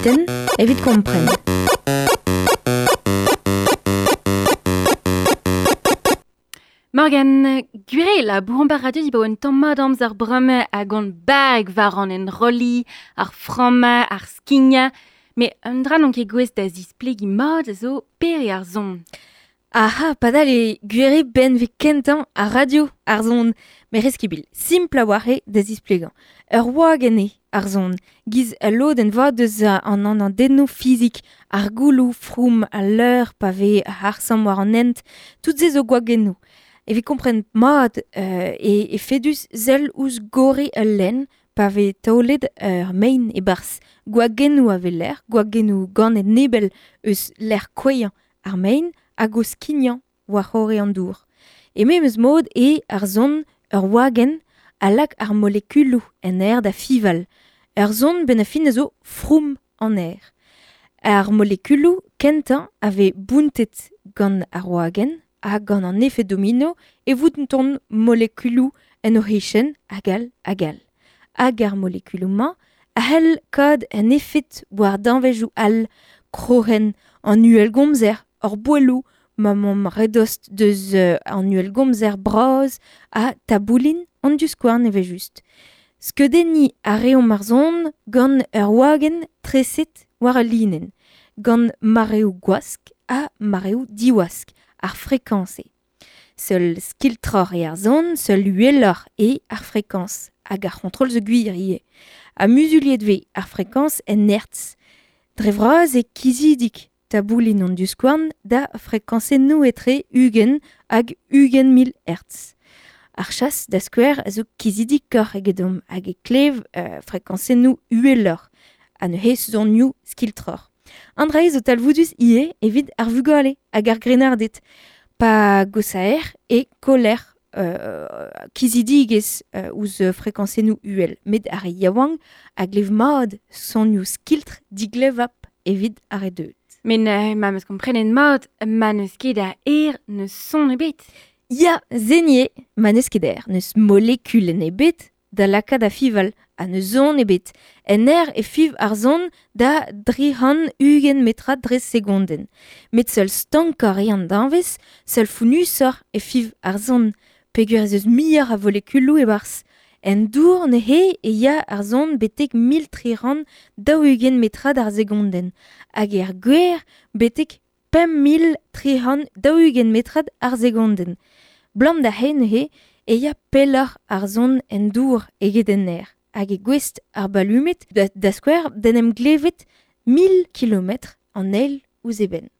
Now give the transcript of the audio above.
munutenn evit kompren. Morgan, gwir eo labouromp ar radio dibaoe un tamm mat amzer bremañ hag hon bag war an enrolliñ, ar frammañ, ar skignañ, met un dra n'on ket gouest da zisplegiñ mat a zo pere ar son. Aha, padal eo gwir eo benveg kentañ ar radio, ar son. Met reskibil, simpl a-walc'h eo da zisplegañ. Ur wagenn eo ar son, giz ul lodenn vat eus an anadennoù fizik, ar gouloù, froum al leur pa vez ar samm war an hent, tout se zo gwagennoù. Evit kompren mat eo efedus sell ouzh gorre ul lenn pa vez taolet ur mein e-barzh. Gwagennoù a weler, gwagennoù ganet nebell eus lec'h kouezhañ ar mein hag o skignañ war-c'horre an dour. E memes mod eo ar son ur wagenn a lak ar molekuloù en aer da fiñval. Ur son benn ar fin a zo froum an aer. Ar molekuloù kentañ a vez bountet gant ar wagenn ha gant an efed domino e vountont molekuloù en o c'hichen hag all hag all. Hag ar molekuloù-mañ a c'hell kaout un efed war danvezioù all, kroc'hen, an uhelgomzer, hor bouelloù, ma 'maomp re dost deus an uhelgomzer bras ha taboulin an divskouarn evel-just. Skeudenniñ a reomp ar son gant ur wagenn treset war ul linenn, gant mareoù gwask ha mareoù diwask, ar frekañs eo. Seul skiltroc'h eo ar son, seul uheloc'h eo ar frekañs, hag ar c'hontrol zo gwir ivez. Ha muzuliet 'vez ar frekañs en hertz. Dre vras eo kizidik taboulin an divskouarn da frekañsennoù etre 20 hag 20 000 hertz. Ar chas, da skouer, a zo kizidikoc'h egedomp hag e klev frekañsennoù uheloc'h ha neuze sonioù skiltroc'h. An dra-se zo talvoudus ivez evit ar vugale hag ar grennarded. Pa gosaer e koller kizidigezh ouzh frekañsennoù uhel, met ar re yaouank a glev mat sonioù skiltr diglevap evit ar re deuet. Met neuze ma 'm eus komprenet mat, ma n'eus ket a aer n'eus son ebet. Ya, se ivez, ma n'eus ket aer, n'eus molekulenn ebet da lakaat da fiñval ha n'eus son ebet. En aer e fiñv ar son da 320 metrad dre segondenn. Met seul stankoc'h eo an danvez, seul founnusoc'h e fiñv ar son, peogwir ez eus muioc'h a volekuloù e-barzh. En dour neuze e ya ar son betek 1340 metrad ar segondenn hag er gwer betek 5340 metrad ar segondenn. Blam da se neuze e ya pelloc'h ar son en dour eget en aer hag e gouest ar balumed da skouer d'en em glevet 1000 kilometr an eil ouzh eben.